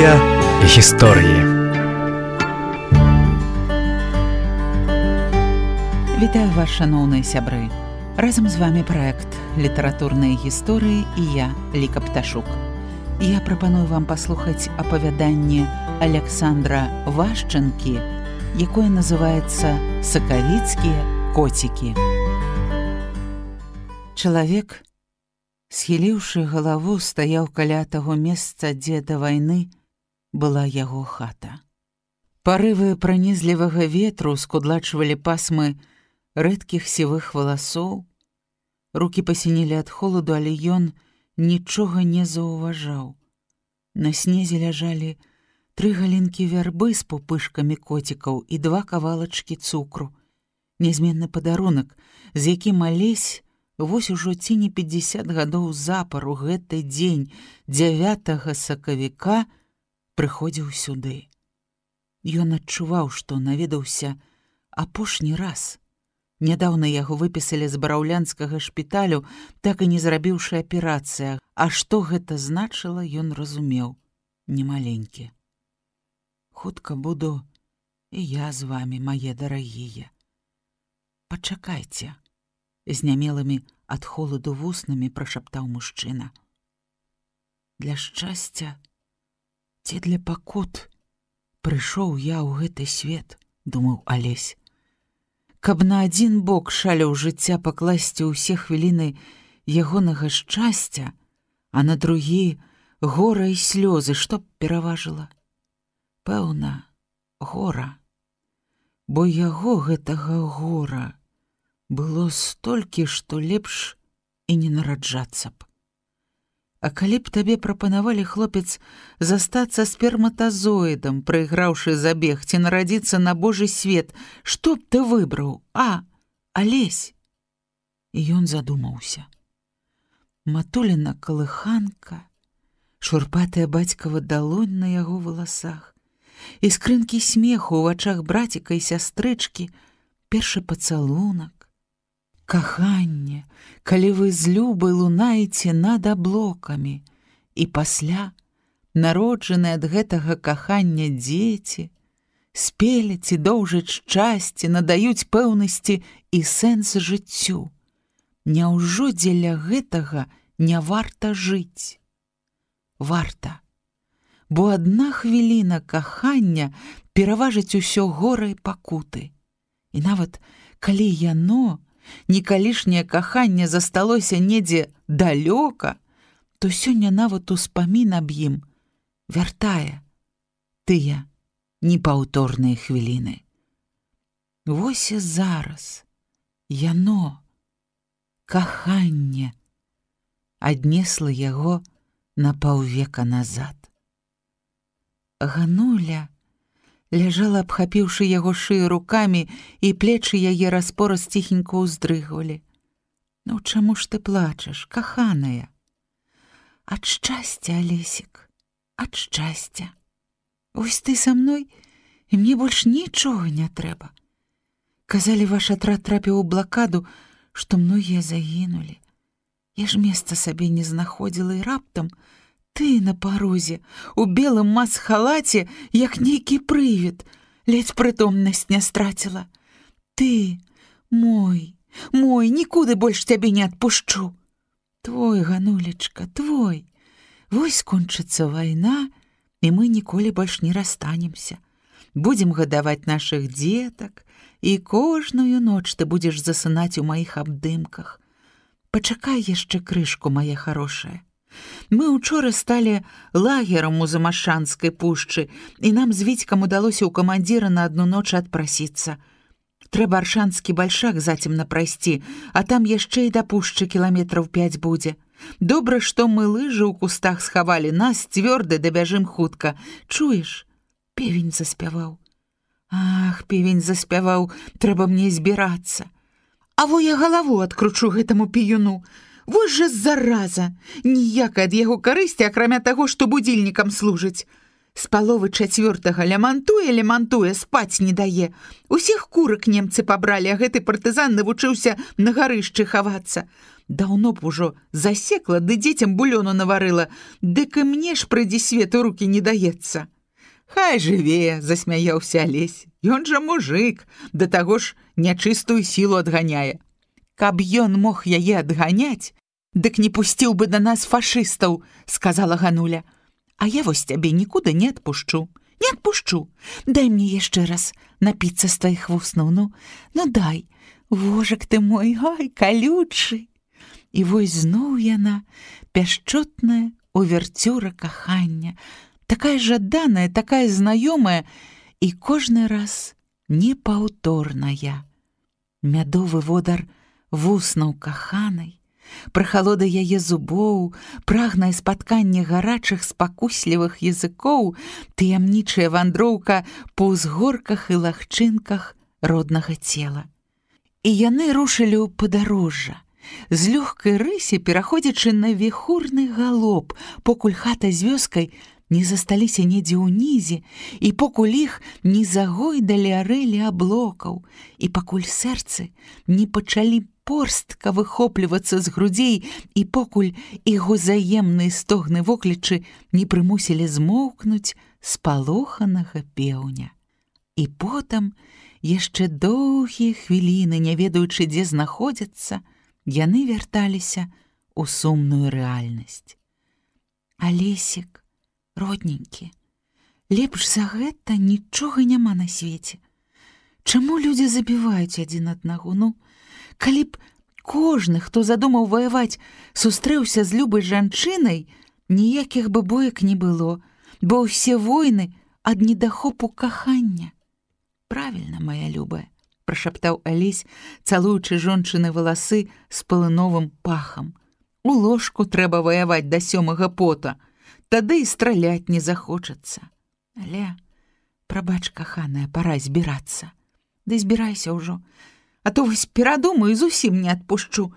Літаратурныя гісторыі. Вітаю вас, шаноўныя сябры. Разам з вами праект «Літаратурныя гісторыі» і я, Ліка Пташук. Я прапаную вам паслухаць апавяданне Александра Вашчанкі, якое называецца «Сакавіцкія коцікі». Чалавек, схіліўшы галаву, стаяў каля таго месца, дзе да вайны была яго хата. Парывы пранізлівага ветру скудлачвалі пасмы рэдкіх сівых валасоў. Рукі пасінелі ад холаду, але ён нічога не заўважаў. На снезе ляжалі 3 галінкі вярбы з пупышкамі коцікаў і 2 кавалачкі цукру. Нязменны падарунак, з якім алесь вось ужо ці не 50 гадоў запар у гэты дзень 9 сакавіка прыходзіў сюды. Ён адчуваў, што наведаўся апошні раз. Нядаўна яго выпісалі з бараўлянскага шпіталю, так і не зрабіўшы аперацыя. А што гэта значыла, ён разумеў немаленькі. Хутка буду і я з вамі, мае дарагія. Пачакайце, знямелымі ад холаду вуснамі прашаптаў мужчына. Для шчасця ці для пакут прыйшоў я ў гэты свет, думаў Алесь. Каб на адзін бок шаляў жыцця пакласці ўсе хвіліны ягонага шчасця, а на другі гора і слёзы, што б пераважыла? Пэўна, гора. Бо яго гэтага гора было столькі, што лепш і не нараджацца б. А калі б табе прапанавалі, хлопец, застацца сперматазоідам, прайграўшы забег, ці нарадзіцца на Божы свет, што б ты выбраў? Алесь! І ён задумаўся. Матуліна калыханка, шурпатая бацькава далонь на яго валасах, іскрынкі смеху ў вачах браціка і сястрычкі, першы пацалунак, каханне, калі вы з любай лунаеце над аблокамі, і пасля народжаныя ад гэтага кахання дзеці спеляць і доўжаць шчасце, надаюць пэўнасці і сэнс жыццю. Няўжо дзеля гэтага не варта жыць? Варта, бо адна хвіліна кахання пераважыць усё гора і пакуты. І нават калі яно, некалішняе каханне, засталося недзе далёка, то сёння нават успамін аб ім вяртае тыя непаўторныя хвіліны. Вось і зараз яно, каханне, аднесла яго на паўвека назад. Гануля ляжала, абхапіўшы яго шыю рукамі, і плечы яе распораз ціхенька ўздрыгвалі. Ну, чаму ж ты плачаш, каханая? Ад шчасця, Алесік, ад шчасця. Вось ты са мной, і мне больш нічога не трэба. Казалі, ваш атрад трапіў у блакаду, што многія загінулі. Я ж месца сабе не знаходзіла, і раптам ты на парозе, у белым мас-халаце, як нейкі прывід, ледзь прытомнасць не страціла. Ты, мой, нікуды больш цябе не адпушчу. Твой, Ганулечка, твой. Вось скончыцца вайна, і мы ніколі больш не расстанемся. Будзем гадаваць нашых дзетак, і кожную ноч ты будзеш засынаць у маіх абдымках. Пачакай яшчэ крышку, мая харошая. Мы учора сталі лагерам у Замашанскай пушчы, і нам з Віцькам удалося ў камандзіра на адну ноч адпрасіцца. Трэба Аршанскі бальшак зацемна прайсці, а там яшчэ і да пушчы кіламетраў 5 будзе. Добра, што мы лыжы ў кустах схавалі, нас цвёрда дабяжым хутка. Чуеш? Певень заспяваў. Ах, певень заспяваў, трэба мне збірацца. А во я галаву адкручу гэтаму піюну. Вось жа зараза! Ніякай ад яго карысці, акрамя таго, што будзільнікам служыць. З паловы 4-го лямантуе, спаць не дае. Усіх курак немцы пабралі, а гэты партызан навучыўся на гарышчы хавацца. Даўно б ужо засекла, ды дзецям булёну наварыла, дык і мне ж прыйдзе свет у рукі не даецца. Хай жыве, засмяяўся Алесь. Ён жа мужык, да таго ж нячыстую сілу адганяе. Каб ён мог яе адганяць, дык не пусціў бы да нас фашыстаў, сказала Гануля. А я вось цябе нікуды не адпушчу. Не адпушчу. Дай мне яшчэ раз напіцца з тваіх вуснаў. Ну дай. Вожак ты мой, ай, калючы. І вось зноў яна, пяшчотная уверцюра кахання, такая жаданая, такая знаёмая і кожны раз непаўторная. Мядовы водар вуснаў каханай, прахалода яе зубоў, прагнае спатканне гарачых спакуслівых языкоў, таямнічая вандроўка па ўзгорках і лагчынках роднага цела. І яны рушылі ў падарожжа, з лёгкай рысі пераходзячы на віхурны галоп, покуль хата з вёскай не засталіся недзе ўнізе, і покуль іх не загойдалі арэлі аблокаў, і пакуль сэрцы не пачалі порстка выхоплівацца з грудзей, і покуль іх узаемныя стогны воклічы не прымусілі змоўкнуць спалоханага пеўня. І потым, яшчэ доўгія хвіліны, не ведаючы, дзе знаходзяцца, яны вярталіся ў сумную рэальнасць. Алесік, родненькі, лепш за гэта нічога няма на свеце. Чаму людзі забіваюць адзін аднаго? Ну, калі б кожны, хто задумаў ваяваць, сустрэўся з любай жанчынай, ніякіх бы боек не было, бо ўсе войны ад недахопу кахання. Правільна, моя любая, прашаптаў Алесь, цалуючы жончыны валасы з пылыновым пахам. У ложку трэба ваяваць да 7-га пота, тады і страляць не захочацца. Але, прабач, каханая, пара збірацца. Ды збірайся ўжо, а то вось перадумаю, зусім не адпушчу.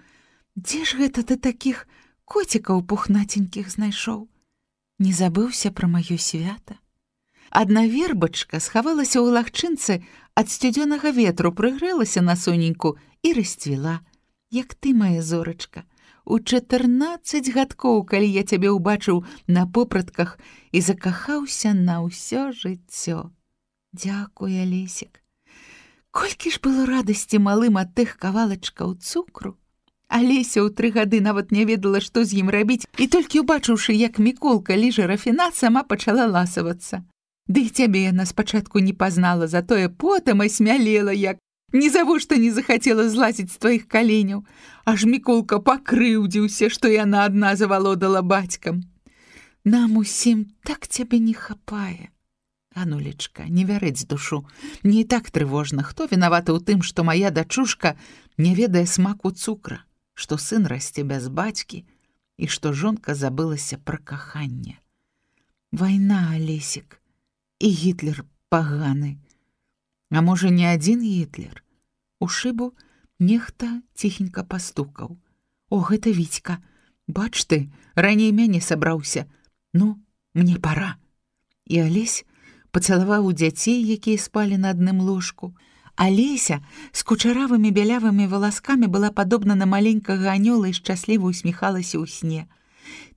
Дзе ж гэта ты такіх коцікаў пухнаценькіх знайшоў? Не забыўся пра маё свята? Адна вербачка схавалася ў лагчынцы ад сцюдзёнага ветру, прыгрэлася на соненьку і расцвіла, як ты, моя зорачка, у 14 гадкоў, калі я цябе ўбачыў на попратках і закахаўся на ўсё жыццё. Дзякуй, Алесік. Колькі ж было радасці малым ад тых кавалачкаў цукру. Алеся ў 3 гады нават не ведала, што з ім рабіць, і толькі ўбачыўшы, як Міколка ліжа рафінат, сама пачала ласавацца. Ды і цябе яна спачатку не пазнала, затое потым асмялела, як нізавошта не захацела злазіць з тваіх каленяў. Аж Міколка пакрыўдзіўся, што яна адна завалодала бацькам. Нам усім так цябе не хапае. Анулечка, не вярэць душу. Мне і так трывожна, хто вінаваты ў тым, што мая дачушка не ведае смаку цукра, што сын расце без бацькі і што жонка забылася пра каханне. Вайна, Алесік, і Гітлер паганы. А можа, не адзін Гітлер? У шыбу нехта ціхенька пастукаў. О, гэта Вітька. Бач ты, раней мяне сабраўся. Ну, мне пара. І Алесь пацалаваў дзяцей, якія спалі на адным ложку. Алеся з кучаравымі бялявымі валаскамі была падобна на маленькага анёла і шчасліва усміхалася ў сне.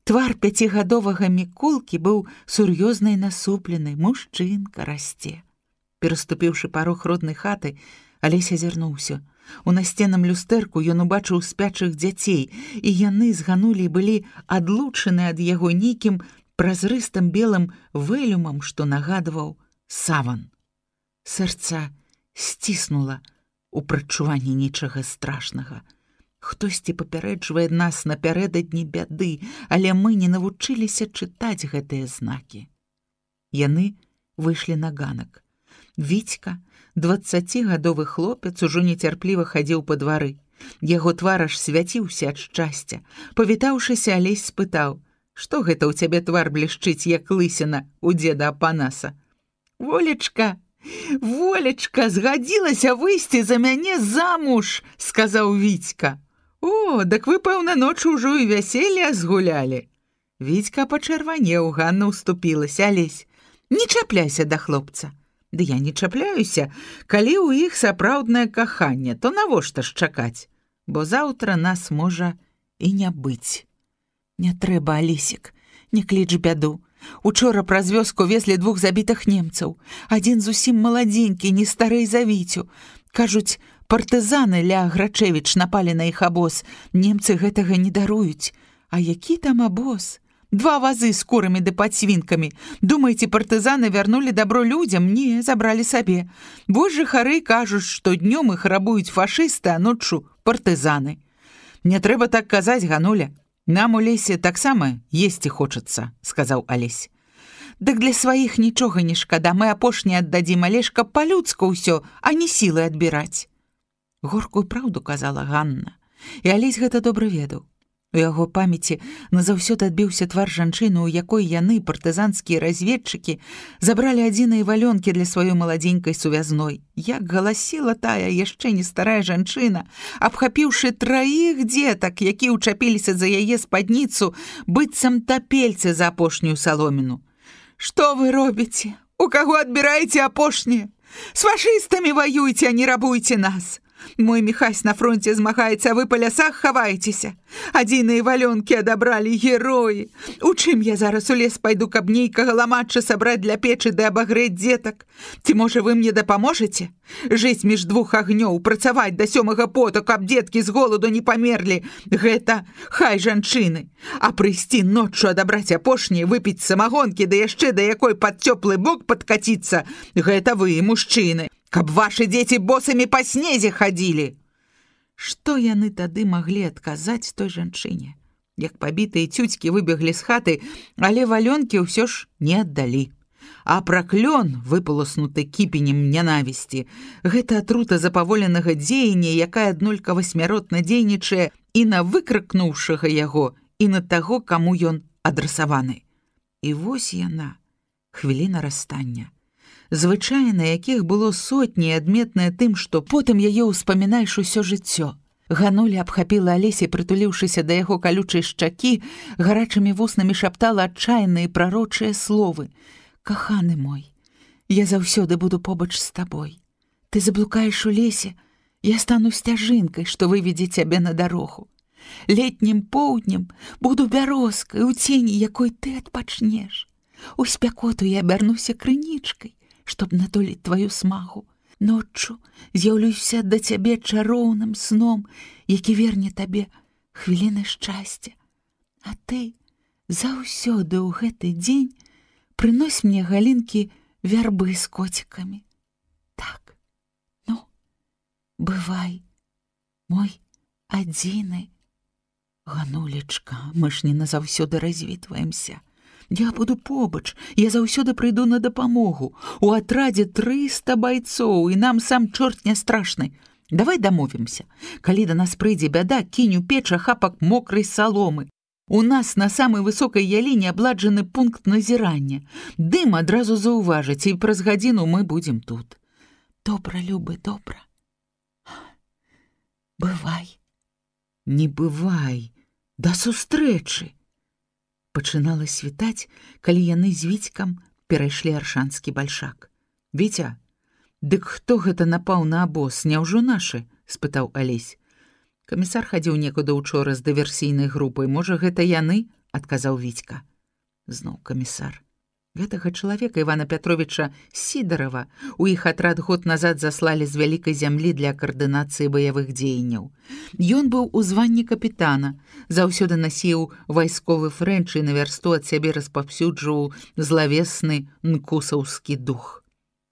Твар 5гадовага Міколкі быў сур'ёзна і насуплены, мужчынка расце. Пераступіўшы парог роднай хаты, Алесь азірнуўся. У насценным люстэрку ён убачыў спячых дзяцей, і яны з Ганулей былі адлучаны ад яго нейкім празрыстым белым вэлюмам, што нагадваў саван. Сэрца сціснула у прадчуванні нечага страшнага. Хтосьці папярэджвае нас напярэдадні бяды, але мы не навучыліся чытаць гэтыя знакі. Яны выйшлі на ганак. Вітька, 20гадовы хлопец, ужо нецярпліва хадзіў па двары. Яго твар аж свяціўся ад шчасця. Павітаўшыся, Алесь спытаў: «Што гэта ў цябе твар блішчыць, як лысіна у дзеда Апанаса?» «Волечка, Волечка, згадзілася выйсці за мяне замуж», — сказаў Вітька. «О, дак вы, пэўна, ноччу ўжо і вяселле згулялі». Вітька пачырванеў, Ганна ўступілася: «Алесь, Не чапляйся да хлопца. Ды я не чапляюся, калі ў іх сапраўднае каханне, то навошта ж чакаць? Бо заўтра нас можа і не быць. Не трэба, Алісік, не кліч бяду. Учора праз вёску везлі 2 забітых немцаў. Адзін зусім маладзенькі, не старэй за Віцю. Кажуць, партызаны ля Грачевіч напалі на іх абоз. Немцы гэтага не даруюць. А які там абоз? 2 вазы з курамі ды падсвінкамі. Думаеце, партызаны вярнулі дабро людзям? Не, забралі сабе. Вось жыхары кажуць, што днём іх рабуюць фашысты, а ноччу партызаны. Не трэба так казаць, Гануля. Нам у лесе таксама есці хочацца, сказаў Алесь. Дык для сваіх нічога не шкада, мы апошні аддадзім, але ж каб па-людску ўсё, а не сілы адбіраць. Горкую праўду казала Ганна, і Алесь гэта добра ведаў. У яго памяці назаўсёды адбіўся твар жанчыны, у якой яны, партызанскія разведчыкі, забралі адзіныя валёнкі для сваёй маладзенькай сувязной. Як галасіла тая яшчэ не старая жанчына, абхапіўшы 3 дзетак, якія ўчапіліся за яе спадніцу, быццам тапельцы за апошнюю саломіну. «Што вы робіце? У каго адбіраеце апошняе? З фашыстамі ваюйце, а не рабуйце нас! Мой Міхась на фронте змагаецца, а вы па лясах хаваецеся. Адзіныя валёнкі адабралі героі. У чым я зараз у лес пайду, каб нейкага ламачча сабраць для печы ды абагрэць дзетак? Ці, можа, вы мне дапаможаце? Жыць між 2 агнёў, працаваць да 7-га поту, каб дзеткі з голаду не памерлі. Гэта хай жанчыны. А прыйсці ноччу адабраць апошняе, выпіць самагонкі, да яшчэ да якой пад цёплы бок падкаціцца. Гэта вы, мужчыны. Каб вашы дзеці босамі па снезе хадзілі. Што яны тады маглі адказаць той жанчыне? Як пабітыя цюцькі выбеглі з хаты, але валёнкі ўсё ж не аддалі. А праклён, выпаласнуты кіпенем нянавісці, гэта атрута запаволенага дзеяння, якая аднолькава смяротна дзейнічае і на выкрыкнуўшага яго, і на таго, каму ён адрасаваны. І вось яна, хвіліна расстання. Звычайна, якіх было сотні, адметнае тым, што потым яе ўспамінаеш усё жыццё. Гануля абхапіла Алесе, прытуліўшыся да яго калючай шчакі, гарачымі вуснамі шаптала адчайныя прарочыя словы. «Каханы мой, я заўсёды буду побач з табой. Ты заблукаеш у лесе, я стану сцяжынкай, што выведзе цябе на дарогу. Летнім поўднем буду бярозкай, у цені якой ты адпачнеш. У спякоту я абярнуся крынічкай, чтоб натоліць тваю смагу. Ноччу з'яўлюся да цябе чароўным сном, які верне табе хвіліны шчасця. А ты заўсёды ў гэты дзень прынось мне галінкі вярбы з коцікамі. Так, ну, бывай, мой адзіны. Ганулечка, мы ж не назаўсёды развітваемся. Я буду побач, я заўсёды прыйду на дапамогу. У атрадзе 300 байцоў, і нам сам чорт не страшны. Давай дамовімся. Калі да нас прыйдзе бяда, кінь у печ ахапак мокрай саломы. У нас на самай высокай яліне абладжаны пункт назірання. Дым адразу заўважыць, і праз гадзіну мы будзем тут. Добра, любы, добра. Бывай. Не бывай. Да сустрэчы. Пачынала світаць, калі яны з Віцькам перайшлі аршанскі бальшак. «Віця, дык хто гэта напаў на абоз, няўжо нашы?» – спытаў Алесь. «Камісар хадзіў некуды учора з дыверсійнай групай. Можа, гэта яны?» – адказаў Віцька. Зноў камісар. Гэтага чалавека Івана Пятровіча Сідарова у іх атрад год назад заслалі з вялікай зямлі для каардынацыі баявых дзеянняў. Ён быў у званні капітана, заўсёды насіў вайсковы фрэнч і на вярсту ад сябе распаўсюджваў злавесны нкусаўскі дух.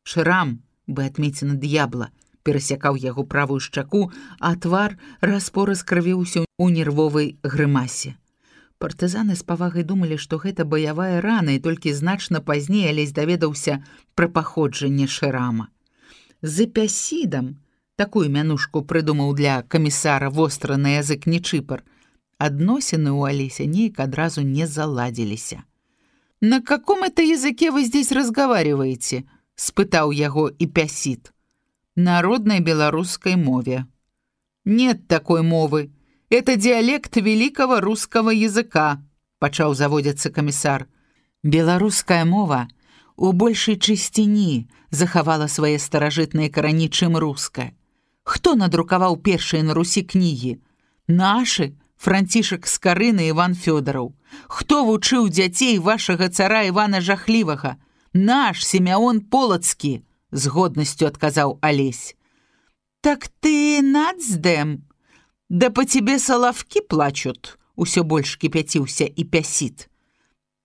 Шрам, бы адмецена д'ябла, перасякаў яго правую шчаку, а твар распораз крывіўся ў нервовай грымасе. Партызаны з павагай думалі, што гэта баявая рана, і толькі значна пазней Алесь даведаўся пра паходжанне шрама. З эпясідам, такую мянушку прыдумаў для камісара востра на язык Нечыпар, адносіны ў Алеся неяк адразу не заладзіліся. «На каком это языке вы здесь разговариваете?» – спытаў яго эпясід. «На родной белорусской мове». «Нет такой мовы. Это диалект великого русского языка», – пачаў заводзіцца камісар. «Беларуская мова у большай чысціні захавала свае старажытныя карані, чым руская. Хто надрукаваў першыя на Русі кнігі? Нашы, Францішак Скарына, Іван Фёдараў. Хто вучыў дзяцей вашага цара Івана Жахлівага? Наш Сімеон Полацкі, з годнасцю адказаў Алесь. Так ты нацдэм? Да по тебе салавкі плачут, усё больш кипятился и пясит.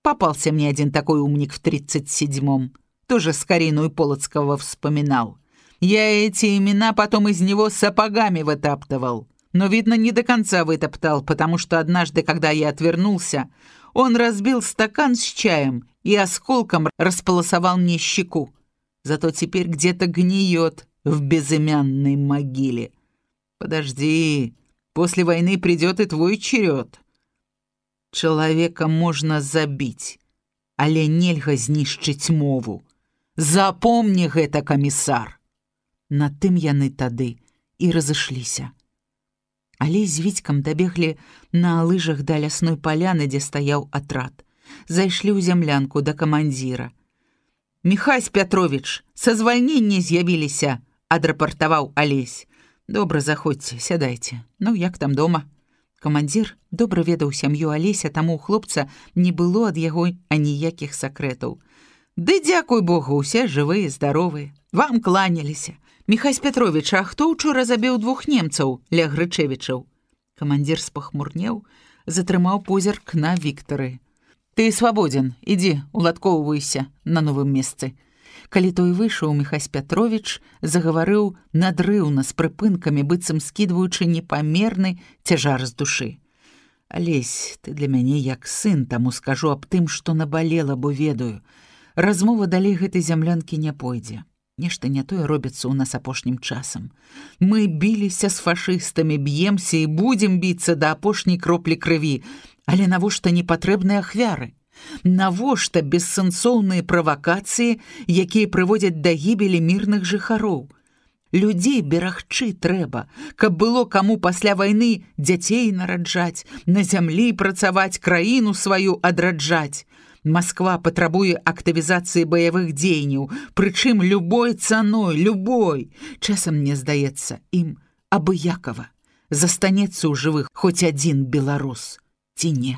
Попался мне один такой умник в 37-м, тоже Скорину и Полоцкого вспоминал. Я эти имена потом из него сапогами вытаптывал, но, видно, не до конца вытоптал, потому что однажды, когда я отвернулся, он разбил стакан с чаем и осколком располосовал мне щеку. Зато теперь где-то гниет в безымянной могиле. Подожди, после войны придет и твой черед. Человека можно забить, але нельга знішчыць мову. Запомни гэта, камісар. На тым яны тады і разышліся. Але з Вітькам дабеглі на лыжах да лясной паляны, дзе стаяў атрад. Зайшлі ў зямлянку да камандзіра. «Міхась Пятрович, са звальнення з'явіліся», — адрапартаваў Алесь. «Добра, заходзьце, сядайце. Ну, як там дома?» Камандзір добра ведаў сям'ю Алеся, таму ў хлопца не было ад яго аніякіх сакрэтаў. «Ды дзякуй Богу, усе жывыя, здаровыя. Вам кланяліся. Міхась Пятрович, а хто учора забіў 2 немцаў, ля Грычевічаў?» Камандзір спахмурнеў, затрымаў позірк на Віктары. «Ты свабодзен, ідзі, уладкоўвайся на новым месцы». Калі той выйшаў, Міхась Пятрович загаварыў надрыўна з прыпынкамі, быццам скідваючы непамерны цяжар з душы. «Алесь, ты для мяне як сын, таму скажу аб тым, што набалела, бо ведаю. Размова далей гэтай зямлянкі не пойдзе. Нешта не тое робіцца ў нас апошнім часам. Мы біліся з фашыстамі, б'емся і будзем біцца да апошняй кроплі крыві, але навошта непатрэбныя ахвяры? Навошта бессэнсоўныя правакацыі, якія прыводзяць да гібелі мірных жыхароў? Людзей берагчы трэба, каб было каму пасля вайны дзяцей нараджаць, на зямлі працаваць, краіну сваю адраджаць. Масква патрабуе актывізацыі баявых дзеянняў, прычым любой цаной, любой. Часам, мне здаецца, ім абыякава застанецца ў жывых хоць адзін беларус, ці не?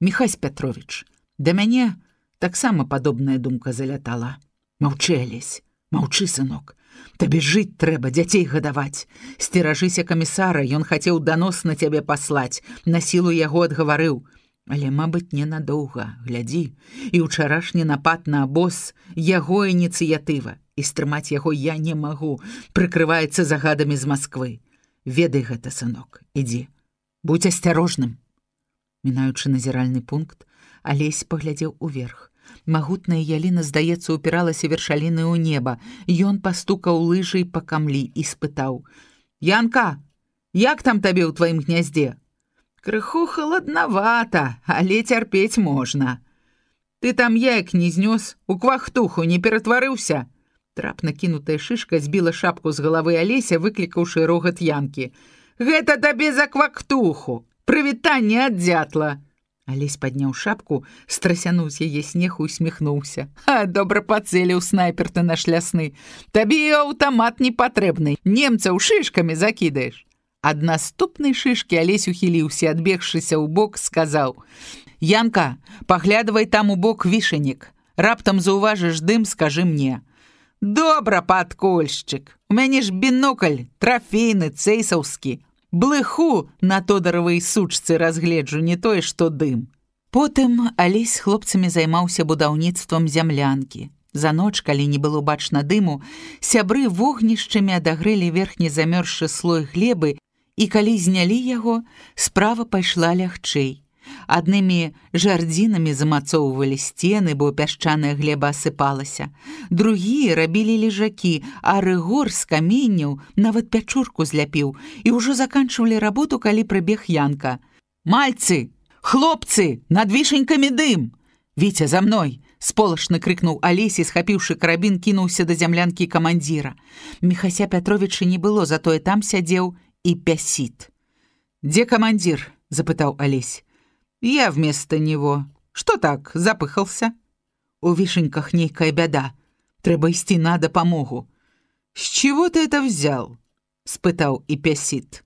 Міхась Пятрович, да мяне таксама падобная думка залятала. Маўчы, Алесь, маўчы, сынок. Табе жыць трэба, дзяцей гадаваць. Сцеражыся камісара, ён хацеў данос на цябе паслаць, на сілу яго адгаварыў. Але, мабыць, ненадоўга, глядзі. І ўчарашні напад на абоз — яго ініцыятыва, і стрымаць яго я не магу, прыкрываецца загадамі з Масквы. Ведай гэта, сынок, ідзі, будзь асцярожным». Мінаючы назіральны пункт, Алесь паглядзеў уверх. Магутная яліна, здаецца, упіралася вершаліны ў неба. Ён пастукаў лыжай па камлі і спытаў: «Янка, як там табе ў тваім гняздзе?» «Крыху халаднавата, але цярпець можна». «Ты там яек не знёс, у квахтуху не ператварыўся?» Трапна кінутая шышка збіла шапку з галавы Алеся, выклікаўшы рогат Янкі. «Гэта табе за квахтуху! Прывітанне ад дзятла!» Алесь падняў шапку, страсянуў з яе снег і усміхнуўся. «Добра пацэліў снайпер ты наш лясны. Табе аўтамат не патрэбны, немцаў шышкамі закідаеш». Ад наступнай шышкі Алесь ухіліўся, адбегшыся ў бок, сказаў: «Янка, паглядвай там у бок вішанік. Раптам заўважыш дым, скажы мне». «Добра, падкольшчык, у мяне ж бінокль, трафейны, цэйсаўскі. Блыху на Тодоравай сучцы разгледжу, не тое, што дым». Потым Алесь з хлопцамі займаўся будаўніцтвам зямлянкі. За ноч, калі не было бачна дыму, сябры вогнішчамі адагрэлі верхні замёрзшы слой глебы, і калі знялі яго, справа пайшла лягчэй. Аднымі жардзінамі замацоўвалі сцены, бо пясчаная глеба асыпалася. Другія рабілі лежакі, а Рыгор з каменняў нават пячурку зляпіў, і ўжо заканчвалі работу, калі прыбег Янка. «Мальцы! Хлопцы! Над вішанькамі дым! Віця, за мной!» — сполашна крыкнуў Алесь і, схапіўшы карабін, кінуўся да зямлянкі камандзіра. Міхася Пятровича не было, затое там сядзеў і пясіт. «Дзе камандзір?» — запытаў Алесь. «Я вместо него. Что так, запыхался?» У Вишеньках нейкая бяда. Трэба ісці на дапамогу». «С чего ты это взял?» — спытаў Ипясит.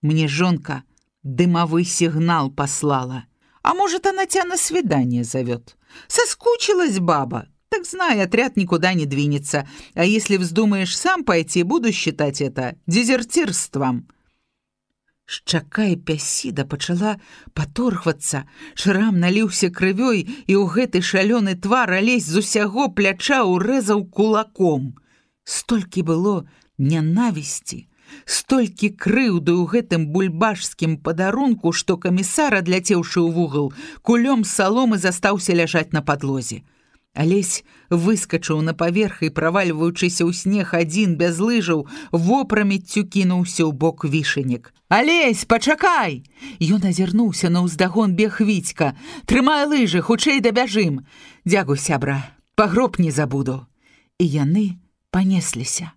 «Мне жонка дымовый сигнал послала. А может, она тебя на свидание зовет? Соскучилась баба. Так знай, отряд никуда не двинется. А если вздумаешь сам пойти, буду считать это дезертирством». Шчака Іпясіда пачала паторгвацца, шрам наліўся крывёй, і ў гэты шалёны твар Алесь з усяго пляча урэзаў кулаком. Столькі было нянавісці, столькі крыўды ў гэтым бульбашскім падарунку, што камісар, адляцеўшы ў вугал, кулём саломы застаўся ляжаць на падлозе. Алесь выскачыў на паверх і, правальваючыся ў снег адзін без лыжаў, вопрамеццю кінуўся ў бок Вішенек. «Алесь, пачакай!» Ён азірнуўся на ўздагон бег Віцька. «Трымай лыжы, хутчэй дабяжым!» «Дзякуй, сябра, пагроб не забуду!» І яны панесліся.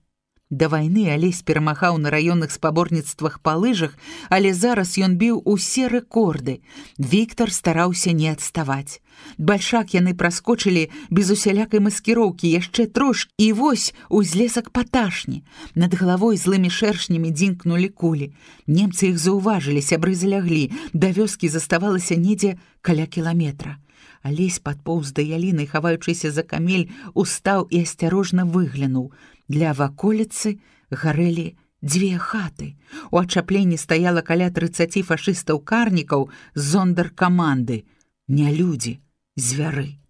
Да вайны Алесь перамагаў на раённых спаборніцтвах па лыжах, але зараз ён біў усе рэкорды. Віктар стараўся не адставаць. Бальшак яны праскочылі без усялякай маскіроўкі яшчэ трошкі, і вось узлесак паташні. Над галавой злымі шэршнямі дзінкнулі кулі. Немцы іх заўважылі, сябры заляглі. Да вёскі заставалася недзе каля кіламетра. Алесь падпоўз да яліны, хаваючыся за камель, устаў і асцярожна выглянуў. Для ваколіцы гарэлі дзве хаты. У ачапленні стаяла каля 30 фашыстаў-карнікаў з зондаркаманды. Не людзі, звяры.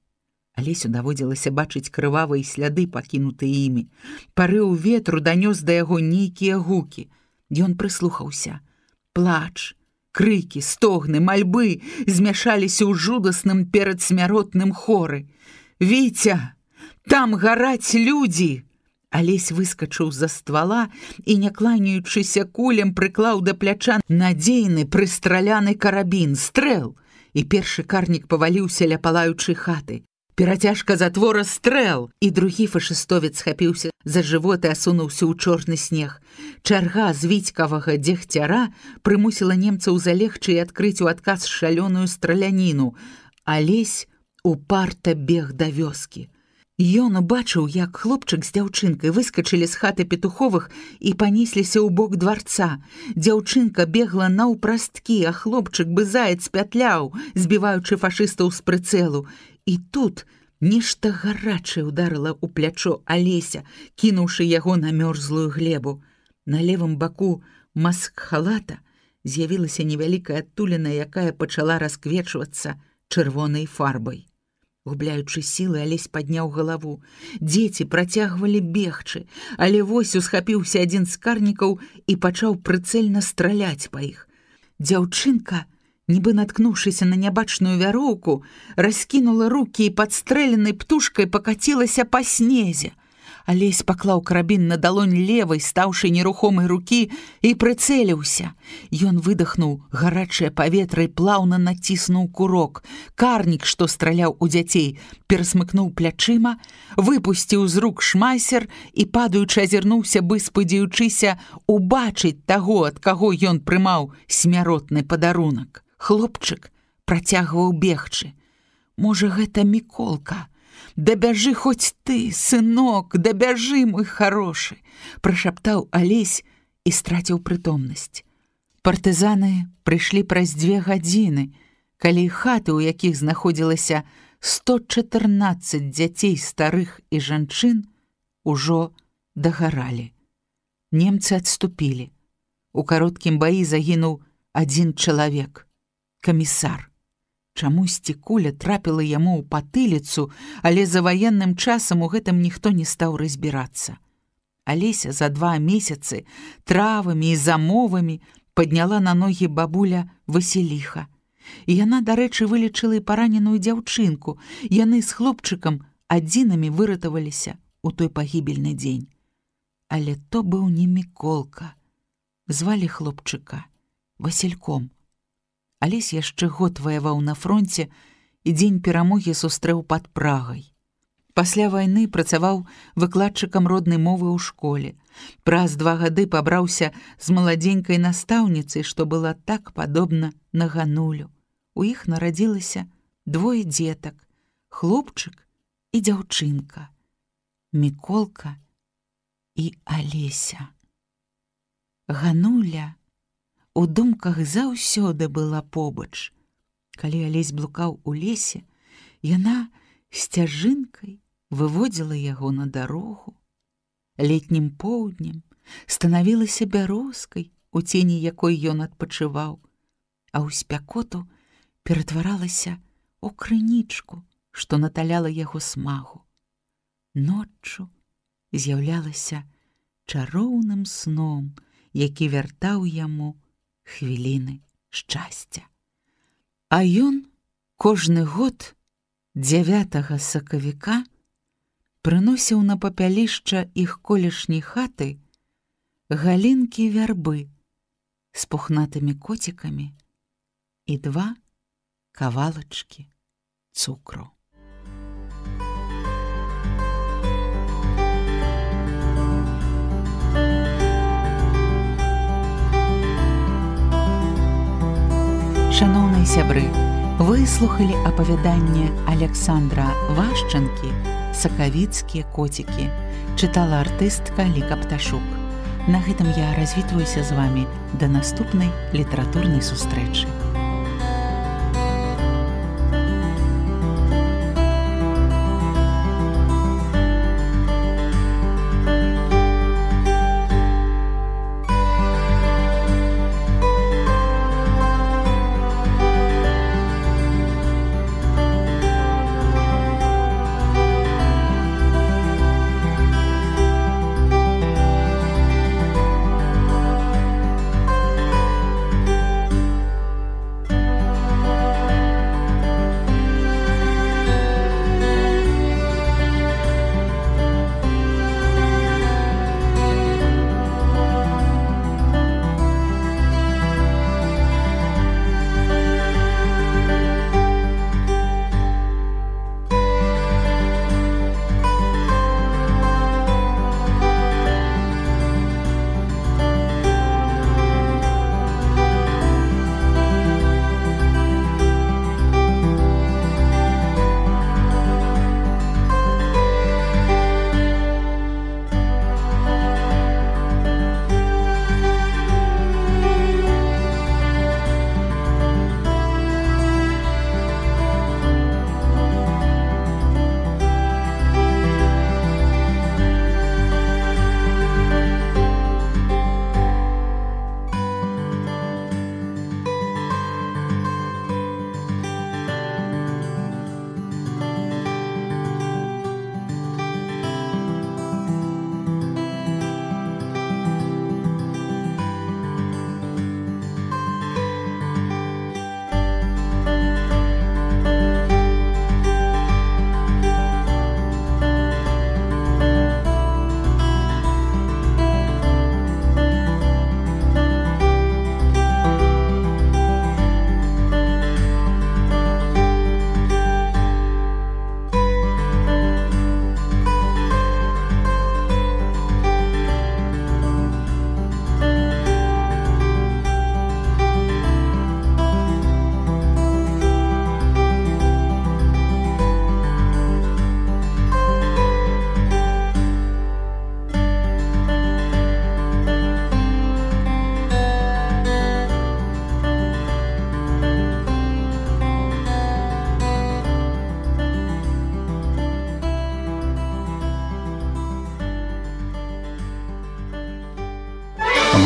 Алесю даводзілася бачыць крывавыя сляды, пакінутыя імі. Парыў ветру данёс да яго нейкія гукі. Ён прыслухаўся. Плач, крыкі, стогны, мальбы змяшаліся ў жудасным перадсмяротным хоры. «Віця, там гараць людзі!» Алесь выскачыў з-за ствала і, не кланяючыся кулем, прыклаў да пляча надзейны прыстраляны карабін, стрэл, і першы карнік паваліўся ля палаючай хаты. Перацяжка затвора стрэл, і другі фашыстовец схапіўся за жывот і асунуўся ў чорны снег. Чарга з віцькавага дзегцяра прымусіла немцаў залегчы і адкрыць у адказ шалёную страляніну. Алесь упарта бег да вёскі. Ён убачыў, як хлопчык з дзяўчынкай выскачылі з хаты Петуховых і панесліся ў бок дварца. Дзяўчынка бегла наўпрасткі, а хлопчык бы заяц пятляў, збіваючы фашыстаў з прыцэлу. І тут нешта гарачае ударыла ў плячо Алеся, кінуўшы яго на мёрзлую глебу. На левым баку маск-халата з'явілася невялікая адтуліна, якая пачала расквечвацца чырвонай фарбай. Губляючы сілы, Алесь падняў галаву. Дзеці працягвалі бегчы, але вось усхапіўся адзін з карнікаў і пачаў прыцэльна страляць па іх. Дзяўчынка, нібы наткнуўшыся на нябачную вяроўку, раскінула рукі і падстрэленай птушкай пакацілася па снезе. Алесь паклаў карабін на далонь левай, стаўшы нерухомай рукі, і прыцэліўся. Ён выдахнуў гарачае паветра і плаўна націснуў курок. Карнік, што страляў у дзяцей, перасмыкнуў плячыма, выпусціў з рук шмайсер і, падаючы, азірнуўся, бы спадзяючыся убачыць таго, ад каго ён прымаў смяротны падарунак. Хлопчык працягваў бегчы. Можа, гэта Міколка? «Дабяжы хоць ты, сынок, дабяжы, мой харошы!» прашаптаў Алесь і страціў прытомнасць. Партызаны прыйшлі праз 2 гадзіны, калі хаты, у якіх знаходзілася 114 дзяцей, старых і жанчын, ужо дагаралі. Немцы адступілі. У кароткім баі загінуў 1 чалавек – камісар. Чамусьці куля трапіла яму ў патыліцу, але за ваенным часам у гэтым ніхто не стаў разбірацца. Алеся за 2 месяцы травамі і замовамі падняла на ногі бабуля Васіліха. І яна, дарэчы, вылечыла і параненую дзяўчынку. Яны з хлопчыкам адзінымі выратаваліся ў той пагібельны дзень. Але то быў не Міколка. Звалі хлопчыка Васільком. Алесь яшчэ год ваяваў на фронце і дзень перамогі сустрэў пад Прагай. Пасля вайны працаваў выкладчыкам роднай мовы ў школе. Праз 2 гады пабраўся з маладзенькай настаўніцай, што была так падобна на Ганулю. У іх нарадзілася 2 дзетак – хлопчык і дзяўчынка, Міколка і Алеся. Гануля у думках заўсёды была побач. Калі Алесь блукаў у лесе, яна сцяжынкай выводзіла яго на дарогу. Летнім поўднем станавілася бярозкай, у цені якой ён адпачываў, а ў спякоту ператваралася ў крынічку, што наталяла яго смагу. Ноччу з'яўлялася чароўным сном, які вяртаў яму хвіліны шчасця. А ён кожны год 9 сакавіка прыносіў на папялішча іх колішняй хаты галінкі вярбы з пухнатымі коцікамі і 2 кавалачкі цукру. Шаноўныя сябры, вы слухалі апавяданне Александра Вашчанкі «Сакавіцкія коцікі». Чытала артыстка Ліка Пташук. На гэтым я развітваюся з вамі да наступнай літаратурнай сустрэчы.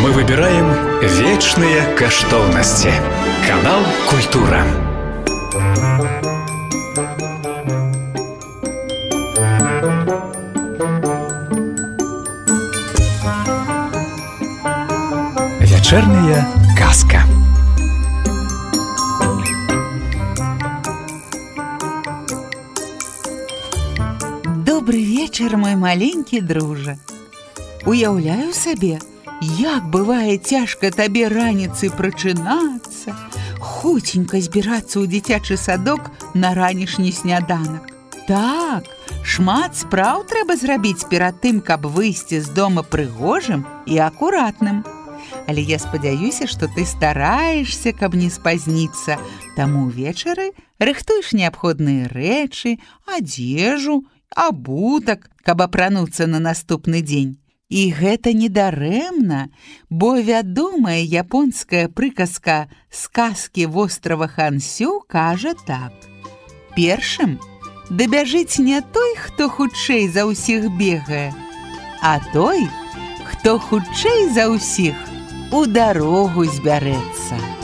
Мы выбираем вечные каштоўнасці. Канал «Культура». Вечерняя казка. Добрый вечер, мой маленькі дружа. Уяўляю сабе, як бывае цяжка табе раніцай прачынацца, хуценька збірацца ў дзіцячы садок на ранішні сняданак. Так, шмат спраў трэба зрабіць перад тым, каб выйсці з дома прыгожым і акуратным. Але я спадзяюся, што ты стараешся, каб не спазніцца. Таму ўвечары рыхтуеш неабходныя рэчы, адзежу, абутак, каб апрануцца на наступны дзень. І гэта не дарэмна, бо вядомая японская прыказка «Сказкі вострава Хансю» кажа так. Першым дабяжыць не той, хто хутчэй за ўсіх бегае, а той, хто хутчэй за ўсіх у дарогу збярэцца.